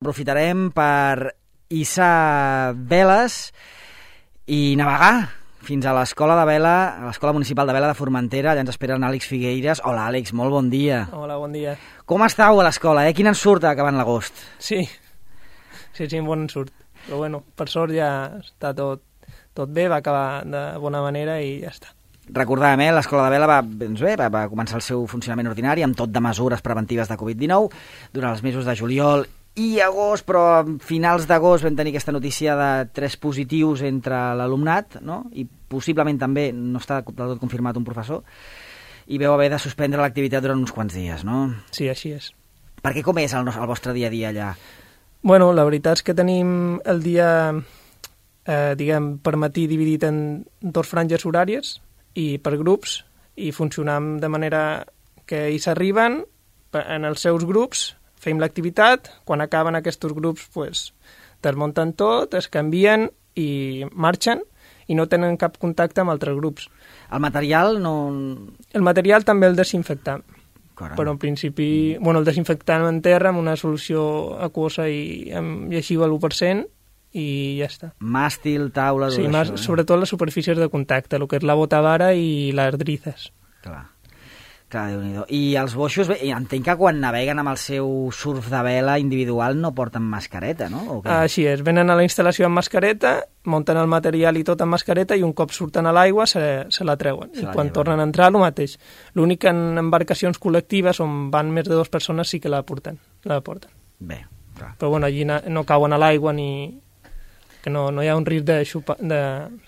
Aprofitarem per hissar veles i navegar fins a l'Escola de Vela, a l'Escola Municipal de Vela de Formentera. Allà ens esperen Àlex Figueiras. Hola, Àlex, molt bon dia. Hola, bon dia. Com estàu a l'escola, Quin ensurt acabant l'agost? Sí, bon ensurt. Però bueno, per sort ja està tot bé, va acabar de bona manera i ja està. Recordàvem, l'Escola de Vela va començar el seu funcionament ordinari amb tot de mesures preventives de Covid-19 durant els mesos de juliol i agost, però a finals d'agost vam tenir aquesta notícia de 3 positius entre l'alumnat, no? I possiblement també no està del tot confirmat un professor, i vau haver de suspendre l'activitat durant uns quants dies, no? Sí, així és. Perquè com és el vostre dia a dia allà? Bueno, la veritat és que tenim el dia, per matí dividit en 2 franges horàries i per grups, i funcionam de manera que ells arriben en els seus grups, fem l'activitat, quan acaben aquests grups desmunten tot, es canvien i marxen i no tenen cap contacte amb altres grups. El material no... El material també el desinfectam, Caram. però en principi el desinfectam en terra amb una solució aquosa i amb lleixiu a l'1% i ja està. Màstil, taula... Sí, sobretot les superfícies de contacte, el que és la botavara i les drizes. Clar, Déu-n'hi-do. I els boixos, entenc que quan naveguen amb el seu surf de vela individual no porten mascareta, no? Així és, venen a la instal·lació amb mascareta, munten el material i tot amb mascareta i un cop surten a l'aigua se la treuen. I quan tornen a entrar, el mateix. L'únic que en embarcacions col·lectives on van més de 2 persones sí que la porten. Bé, clar. Però allí no cauen a l'aigua ni... que no hi ha un risc de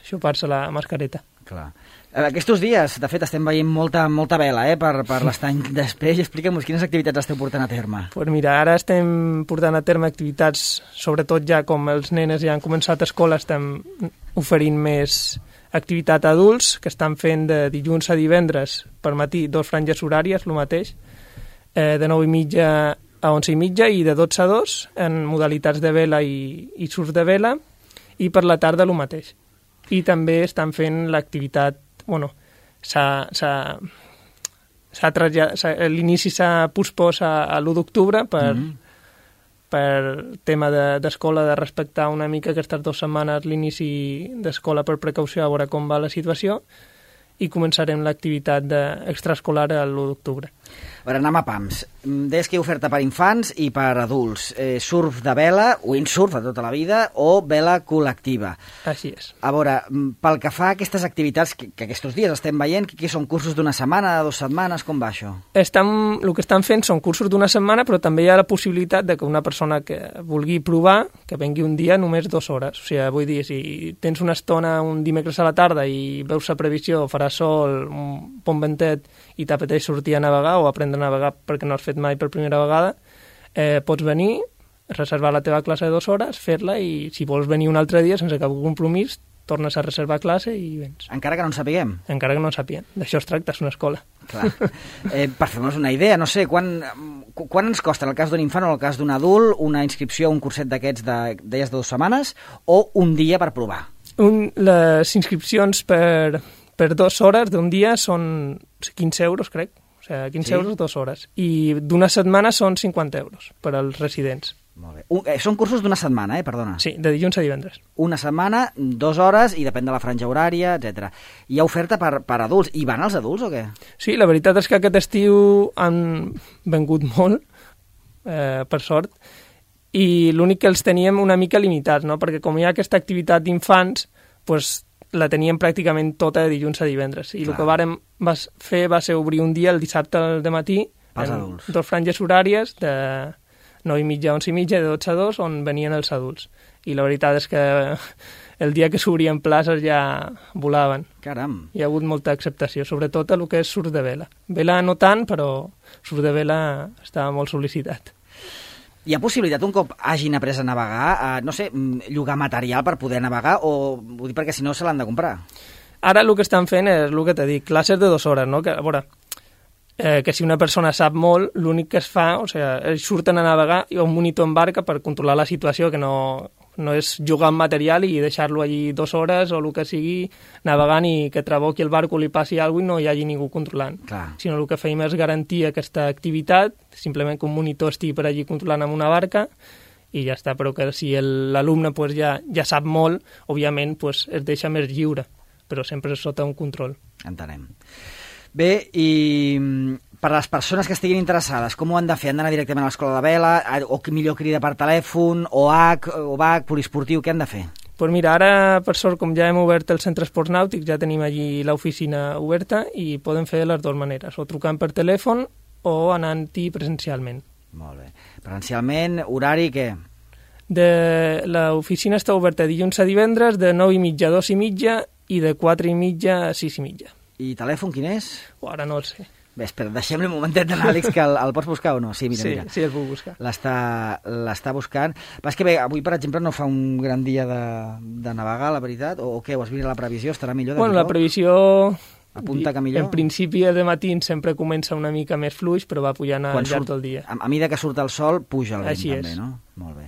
xupar-se la mascareta. Clar. Aquests dies, de fet, estem veient molta vela per l'estany d'Espeix. Explica'm-nos quines activitats esteu portant a terme. Mira, ara estem portant a terme activitats, sobretot ja com els nenes ja han començat a escola, estem oferint més activitat a adults, que estan fent de dilluns a divendres per matí 2 franges horàries, el mateix, de 9:30 a 11:30 i de 12 a 2 en modalitats de vela i surf de vela, i per la tarda el mateix. I també estan fent l'activitat, l'inici s'ha pospòs a l'1 d'octubre per tema d'escola, de respectar una mica aquestes 2 setmanes l'inici d'escola per precaució, a veure com va la situació, i començarem l'activitat extraescolar l'1 d'octubre. A veure, anem a pams. Deies que hi ha oferta per infants i per adults. Surf de vela, windsurf de tota la vida, o vela col·lectiva. Així és. A veure, pel que fa a aquestes activitats que aquests dies estem veient, que són cursos d'1 setmana, de 2 setmanes, com va això? El que estan fent són cursos d'1 setmana, però també hi ha la possibilitat de que una persona que vulgui provar, que vengui un dia només 2 hores. O sigui, vull dir, si tens una estona un dimecres a la tarda i veus la previsió, farà sol, un bon ventet i t'apeteix sortir a navegar o aprendre a navegar perquè no has fet mai per primera vegada, pots venir, reservar la teva classe de 2 hores, fer-la, i si vols venir un altre dia sense cap compromís, tornes a reservar classe i vens. Encara que no en sapiguem? Encara que no en sapiguem. D'això es tracta, és una escola. Clar. Per fer-nos una idea, no sé, quan ens costa, en el cas d'un infant o en el cas d'un adult, una inscripció a un curset d'aquests de 2 setmanes o un dia per provar? Les inscripcions per 2 hores d'un dia són 15 euros, crec. O sigui, 15 euros 2 hores. I d'una setmana són 50 euros per als residents. Molt bé. Són cursos d'1 setmana, perdona. Sí, de dilluns a divendres. Una setmana, 2 hores, i depèn de la franja horària, etc. Hi ha oferta per adults. I van els adults o què? Sí, la veritat és que aquest estiu han vengut molt, per sort, i l'únic que els teníem una mica limitats, no? Perquè com hi ha aquesta activitat d'infants, la teníem pràcticament tota de dilluns a divendres. I el que vàrem fer va ser obrir un dia el dissabte al dematí en 2 franges horàries de 9:30 a 11:30 de 12 a 2 on venien els adults. I la veritat és que el dia que s'obrien places ja volaven. Caram! Hi ha hagut molta acceptació, sobretot a el que és surf de vela. Vela no tant, però surf de vela estava molt sol·licitat. Hi ha possibilitat, un cop hagin après a navegar, llogar material per poder navegar, o vull dir perquè si no se l'han de comprar? Ara el que estan fent és el que t'he dit, classes de 2 hores, no? Que, a veure, que si una persona sap molt, l'únic que es fa, ells surten a navegar i un monitor en barca per controlar la situació, que no és jugar amb material i deixar-lo allí 2 hores o el que sigui navegant i que traboqui el barco, li passi alguna cosa i no hi hagi ningú controlant. Clar. Sinó el que feim és garantir aquesta activitat, simplement que un monitor estigui per allí controlant amb una barca i ja està, però que si l'alumne pues, ja sap molt, òbviament pues, es deixa més lliure, però sempre sota un control. Entenem. Bé, i per a les persones que estiguin interessades, com ho han de fer? Han d'anar directament a l'escola de vela, o millor crida per telèfon, o BAC, poliesportiu, què han de fer? Pues mira, ara, per sort, com ja hem obert el centre esports nàutics, ja tenim allí l'oficina oberta i poden fer de les dues maneres, o trucant per telèfon o anant-hi presencialment. Molt bé. Presencialment, horari, què? L'oficina està oberta dilluns a divendres de 9:30 a 2:30 i de 4:30 a 6:30. I telèfon quin és? Ara no el sé. Bé, espera, deixem-li un momentet a l'Àlex, que el pots buscar o no? Sí, mira. Sí, el puc buscar. L'està buscant. Però és que bé, avui, per exemple, no fa un gran dia de navegar, la veritat, o què? Ho has vist a la previsió? Estarà millor? Bueno, la previsió... Apunta que millor? En principi, de matí sempre comença una mica més fluix, però va pujant al llarg del dia. A mesura que surt el sol, puja el vent, Així també, és. No? Molt bé.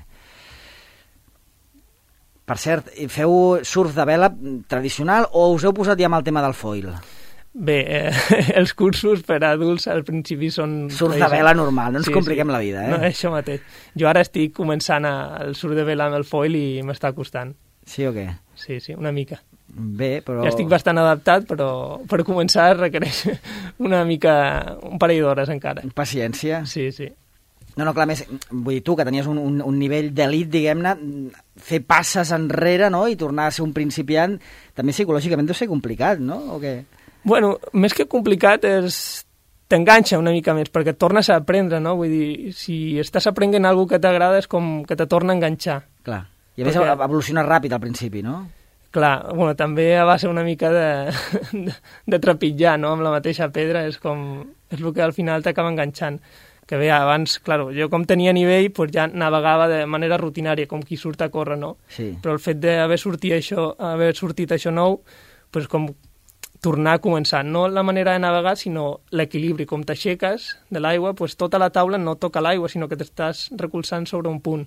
Per cert, feu surf de vela tradicional o us heu posat ja amb el tema del foil? Bé, els cursos per a adults al principi són... Surf de vela normal, no ens compliquem la vida, No, això mateix. Jo ara estic començant el surf de vela amb el foil i m'està costant. Sí o què? Sí, una mica. Bé, però... Ja estic bastant adaptat, però per començar requereix un parell d'hores encara. Paciència. Sí. No, clar, més, vull dir, tu, que tenies un nivell d'elit, diguem-ne, fer passes enrere, no?, i tornar a ser un principiant, també psicològicament deu ser complicat, no?, o què? Bueno, més que complicat t'enganxa una mica més, perquè et tornes a aprendre, no?, vull dir, si estàs aprenent alguna que t'agrada és com que te torna a enganxar. Clar, i a més evoluciona ràpid al principi, no? Clar, bueno, també va ser una mica de trepitjar, no?, amb la mateixa pedra, és el que al final t'acaba enganxant. Que bé, abans, clar, jo com tenia nivell, pues ja navegava de manera rutinària, com qui surt a córrer, no? Sí. Però el fet d'haver sortit això nou, pues com tornar a començar. No la manera de navegar, sinó l'equilibri. Com t'aixeques de l'aigua, pues tota la taula no toca l'aigua, sinó que t'estàs recolzant sobre un punt.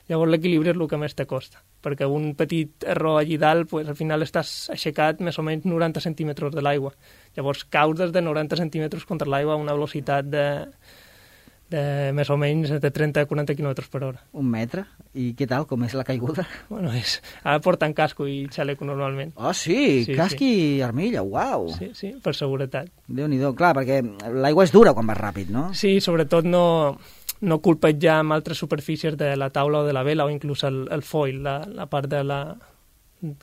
Llavors l'equilibri és el que més te costa, perquè un petit error allí dalt, pues, al final estàs aixecat més o menys 90 centímetres de l'aigua. Llavors caus des de 90 centímetres contra l'aigua a una velocitat de més o menys de 30-40 km per hora. Un metre? I què tal? Com és la caiguda? Bueno, ara porten casco i xaleco normalment. Oh, sí? Casc i armilla, uau! Sí, per seguretat. Déu-n'hi-do, clar, perquè l'aigua és dura quan vas ràpid, no? Sí, sobretot no colpejar amb altres superfícies de la taula o de la vela o inclús el foil, la part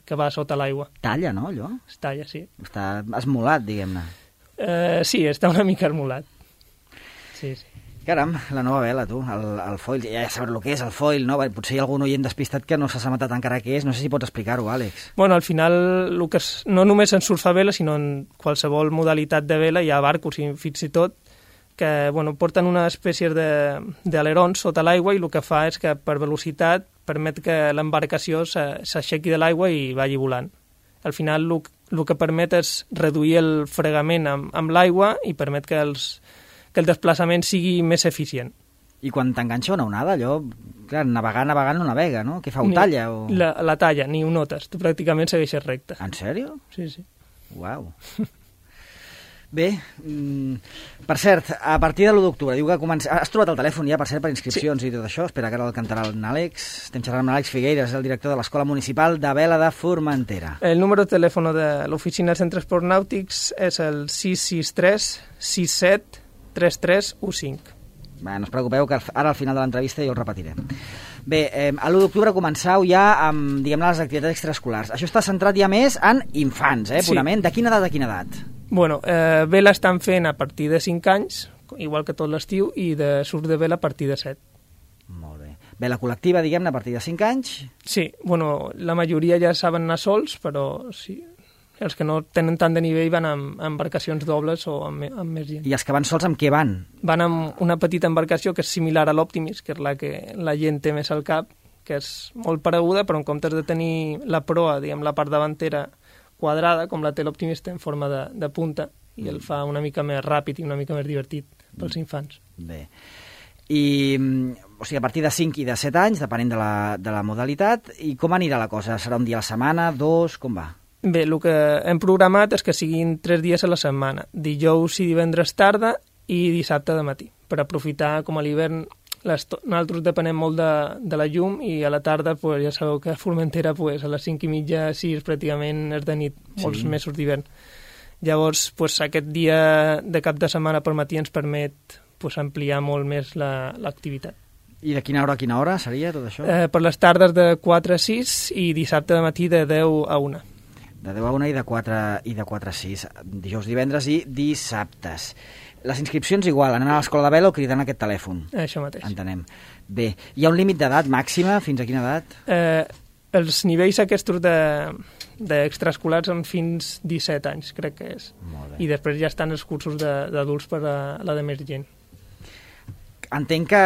que va sota l'aigua. Talla, no, allò? Es talla, sí. Està esmolat, diguem-ne. Sí, està una mica esmolat. Sí. Caram, la nova vela, tu, el foil. Ja sabràs el que és el foil, no? Potser hi ha algun oient despistat que no s'ha matat encara què és. No sé si pots explicar-ho, Àlex. Bueno, al final, no només en surf a vela, sinó en qualsevol modalitat de vela, hi ha barcos i fins i tot que porten una espècie d'alerons sota l'aigua i el que fa és que per velocitat permet que l'embarcació s'aixequi de l'aigua i vagi volant. Al final el que permet és reduir el fregament amb l'aigua i permet que el desplaçament sigui més eficient. I quan t'enganxa una onada, allò, clar, navegant no navega, no? Què fa, ho talla? O... La talla, ni ho notes, tu pràcticament segueixes recte. En sèrio? Sí. Uau. Bé, per cert, a partir de l'1 d'octubre, diu que has trobat el telèfon ja, per cert, per inscripcions i tot això? Espera, que ara el cantarà l'Àlex. Estem xerrant amb l'Àlex Figueiras, el director de l'Escola Municipal de Vela de Formentera. El número de telèfon de l'oficina de centres esports nàutics és el 663 67 3315. Bé, no us preocupeu, que ara al final de l'entrevista jo el repetiré. Bé, a l'1 d'octubre començau ja amb, diguem-ne, les activitats extraescolars. Això està centrat ja més en infants, purament. De quina edat a quina edat? Bueno, vela estan fent a partir de 5 anys, igual que tot l'estiu, i de surf de vela a partir de 7. Molt bé. Vela col·lectiva, diguem-ne, a partir de 5 anys? Sí, bueno, la majoria ja saben anar sols, però sí, els que no tenen tant de nivell van amb embarcacions dobles o amb més gent. I els que van sols amb què van? Van amb una petita embarcació que és similar a l'Optimis, que és la que la gent té més al cap, que és molt pareguda, però en comptes de tenir la proa, diguem, la part davantera quadrada, com la té l'Optimis, té en forma de punta, i el fa una mica més ràpid i una mica més divertit pels infants. Bé. I, o sigui, a partir de 5 i de 7 anys, depenent de la modalitat, i com anirà la cosa? Serà un dia a la setmana, 2, com va? Bé, el que hem programat és que siguin 3 dies a la setmana, dijous i divendres tarda i dissabte de matí, per aprofitar com a l'hivern nosaltres depenem molt de la llum i a la tarda, pues, ja sabeu que a Formentera pues, a les 5:30, 6 pràcticament és de nit, molts mesos d'hivern. Llavors, pues, aquest dia de cap de setmana per matí ens permet pues, ampliar molt més l'activitat. I de quina hora a quina hora seria tot això? Per les tardes de 4 a 6 i dissabte de matí de 10 a 1. De 10 a 1 i de 4 a 6, dijous, divendres i dissabtes. Les inscripcions igual, anant a l'escola de vela o cridant aquest telèfon? Això mateix. Entenem. Bé, hi ha un límit d'edat màxima? Fins a quina edat? Els nivells aquests d'extraescolars són fins 17 anys, crec que és. Molt bé. I després ja estan els cursos d'adults per a la de més gent. Entenc que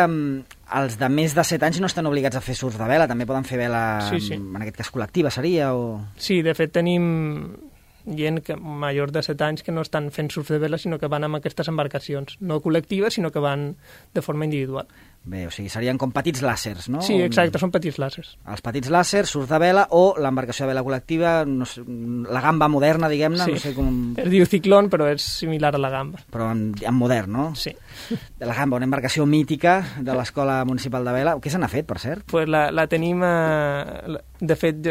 els de més de 7 anys no estan obligats a fer surf de vela, també poden fer vela, sí. En aquest cas col·lectiva seria? O... Sí, de fet tenim gent major de 7 anys que no estan fent surf de vela, sinó que van amb aquestes embarcacions, no col·lectives, sinó que van de forma individual. Bé, o sigui, serien com petits làsers, no? Sí, exacte, són petits làsers. Els petits làsers, surf de vela o l'embarcació de vela col·lectiva, no sé, la gamba moderna, diguem-ne, sí. No sé com... Es diu ciclón, però és similar a la gamba. Però en modern, no? Sí. De la gamba, una embarcació mítica de l'Escola Municipal de Vela. Què se n'ha fet, per cert? Pues la tenim, de fet,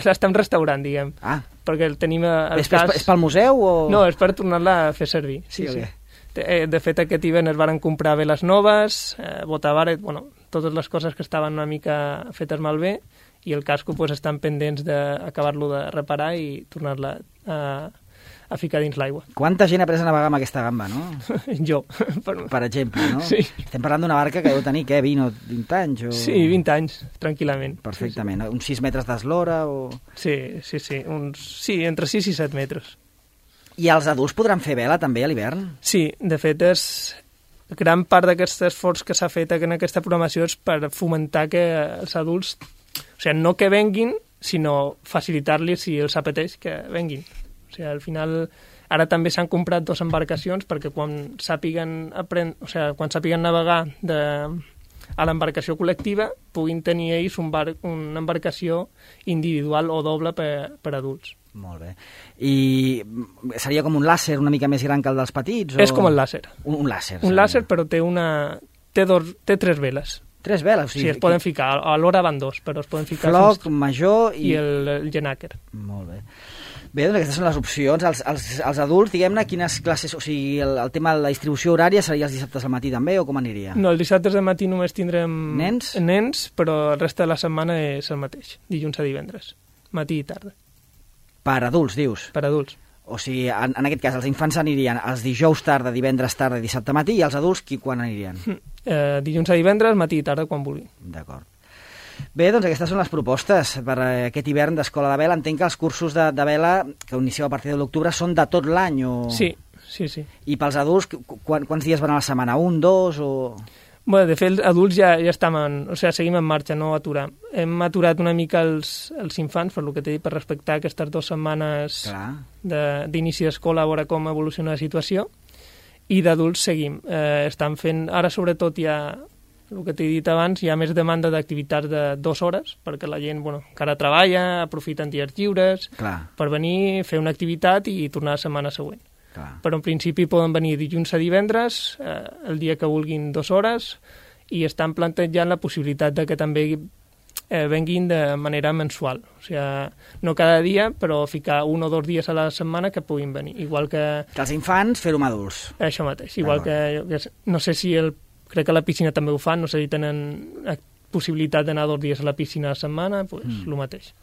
l'estem restaurant, diguem. Ah. Perquè el tenim al És pel museu o...? No, és per tornar-la a fer servir. Sí. De fet, aquest hivern es van comprar veles noves, botabaret, bueno, totes les coses que estaven una mica fetes malbé, i el casco pues, estan pendents d'acabar-lo de reparar i tornar-la a ficar dins l'aigua. Quanta gent ha après a navegar amb aquesta gamba, no? Jo. Per exemple, no? Sí. Estem parlant d'una barca que deu tenir, què, 20 o 20 anys? O... Sí, 20 anys, tranquil·lament. Perfectament. Sí. Uns 6 metres d'eslora o... Sí. Sí, entre 6 i 7 metres. I els adults podran fer vela també a l'hivern? Sí, de fet és gran part d'aquest esforç que s'ha fet en aquesta programació és per fomentar que els adults, o sigui, no que venguin, sinó facilitar-los, si els apeteix, que venguin. O sigui, al final, ara també s'han comprat 2 embarcacions perquè quan sàpiguen navegar a l'embarcació col·lectiva puguin tenir ells una embarcació individual o doble per adults. Molt bé. I seria com un làser una mica més gran que el dels petits? O... És com el làser. Un làser. Un làser, però té 3 veles. 3 veles? O sigui, sí, es poden ficar. Alhora van 2, però es poden ficar... Floc, major i... I el genàquer. Molt bé. Bé, doncs aquestes són les opcions. Els adults, diguem-ne, quines classes... O sigui, el tema de la distribució horària seria els dissabtes al matí també, o com aniria? No, els dissabtes al matí només tindrem... Nens, però el reste de la setmana és el mateix, dilluns a divendres, matí i tarda. Per adults, dius? Per adults. O sigui, en aquest cas, els infants anirien els dijous tarda, divendres tarda i dissabte matí, i els adults quan anirien? Dilluns a divendres, matí i tarda, quan vulguin. D'acord. Bé, doncs aquestes són les propostes per aquest hivern d'Escola de Vela. Entenc que els cursos de vela que inicieu a partir de l'octubre són de tot l'any, o...? Sí. I pels adults, quants dies van a la setmana? 1, 2, o...? Bé, de fet, els adults ja estem seguim en marxa, no aturar. Hem aturat una mica els infants, per lo que t'he dit, per respectar aquestes 2 setmanes d'inici d'escola, a veure com evoluciona la situació, i d'adults seguim. Estan fent, ara sobretot hi ha, el que t'he dit abans, hi ha més demanda d'activitats de 2 hores, perquè la gent encara treballa, aprofiten dies lliures, per venir, fer una activitat i tornar la setmana següent. Però en principi poden venir dilluns a divendres, el dia que vulguin 2 hores, i estan plantejant la possibilitat de que també venguin de manera mensual. O sigui, no cada dia, però ficar 1 o 2 dies a la setmana que puguin venir. Igual que els infants, fer-ho amb adults. Això mateix. Igual que no sé si crec que a la piscina també ho fan, no sé si tenen possibilitat d'anar 2 dies a la piscina a la setmana, doncs el mateix.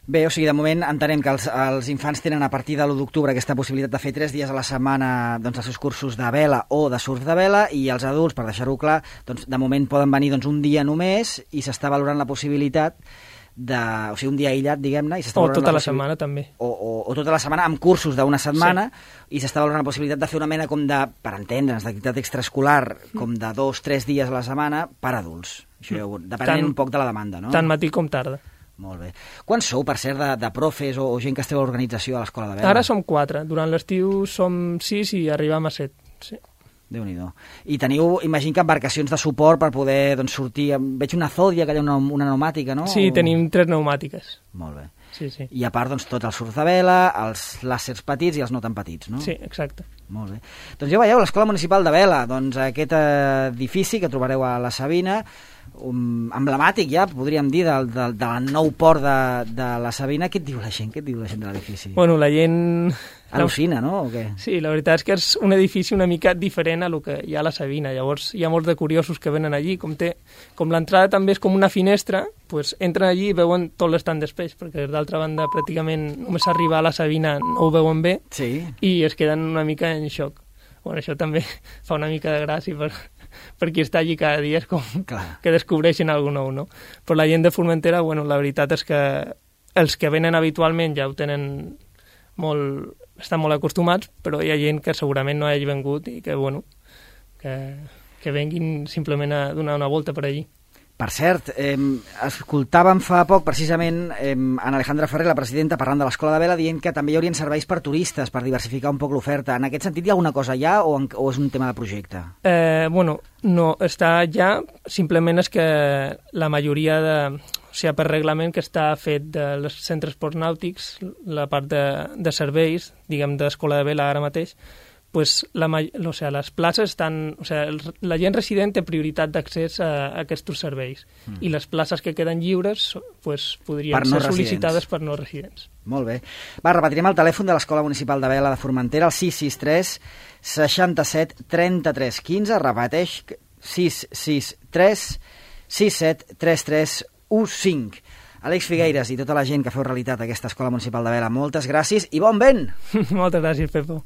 Bé, o sigui, de moment entenem que els infants tenen a partir de l'1 d'octubre aquesta possibilitat de fer 3 dies a la setmana els seus cursos de vela o de surf de vela, i els adults, per deixar-ho clar, de moment poden venir un dia només, i s'està valorant la possibilitat o sigui, un dia aïllat, diguem-ne, o tota la setmana també. O tota la setmana amb cursos d'una setmana, i s'està valorant la possibilitat de fer una mena com de, per entendre'ns, d'activitat extraescolar, com de 2-3 dies a la setmana per adults. Això depenent un poc de la demanda, no? Tant matí com tarda. Molt bé. Quants sou, per cert, de profes o gent que esteu a l'organització a l'Escola de Vela? Ara som 4. Durant l'estiu som 6 i arribam a 7. Sí. Déu-n'hi-do. I teniu, imagino que embarcacions de suport per poder sortir... Veig una Zodia, que hi ha una pneumàtica, no? Sí, tenim 3 pneumàtiques. Molt bé. Sí, sí. I a part, tots els surf de vela, els làsers petits i els no tan petits, no? Sí, exacte. Molt bé. Doncs ja veieu, l'Escola Municipal de Vela, aquest edifici que trobareu a la Sabina, emblemàtic ja, podríem dir, del nou port de la Sabina. Què et diu la gent? Què et diu la gent de l'edifici? Bueno, la gent... Al·lucina, no? O què? Sí, la veritat és que és un edifici una mica diferent a lo que hi ha a la Sabina. Llavors hi ha molts de curiosos que venen allí. Com l'entrada també és com una finestra, doncs entren allí i veuen tot l'estant d'espeix, perquè d'altra banda pràcticament només arribar a la Sabina no ho veuen bé, sí, i es queden una mica en xoc. Bueno, això també fa una mica de gràcia per qui està allí cada dia, és com que descobreixen alguna nou, no? Però la gent de Formentera, bueno, la veritat és que els que venen habitualment ja ho tenen estan molt acostumats, però hi ha gent que segurament no hagi vengut i que, bueno, que venguin simplement a donar una volta per allí. Per cert, escoltàvem fa poc, precisament, en Alejandra Ferrer, la presidenta, parlant de l'Escola de Vela, dient que també hi haurien serveis per turistes, per diversificar un poc l'oferta. En aquest sentit, hi ha alguna cosa ja o és un tema de projecte? Bueno, no, està ja, simplement és que la majoria o sigui, per reglament que està fet dels centres esports nàutics, la part de serveis, diguem, d'Escola de Vela ara mateix, pues les places estan... O sigui, la gent resident té prioritat d'accés a aquests serveis i les places que queden lliures pues, podrien ser sol·licitades per no residents. Molt bé. Va, repetirem el telèfon de l'Escola Municipal de Vela de Formentera, el 663 67 33 15, repeteix, 663 67 33 15. Àlex Figueiras i tota la gent que feu realitat aquesta Escola Municipal de Vela, moltes gràcies i bon vent! Moltes gràcies, Pepo.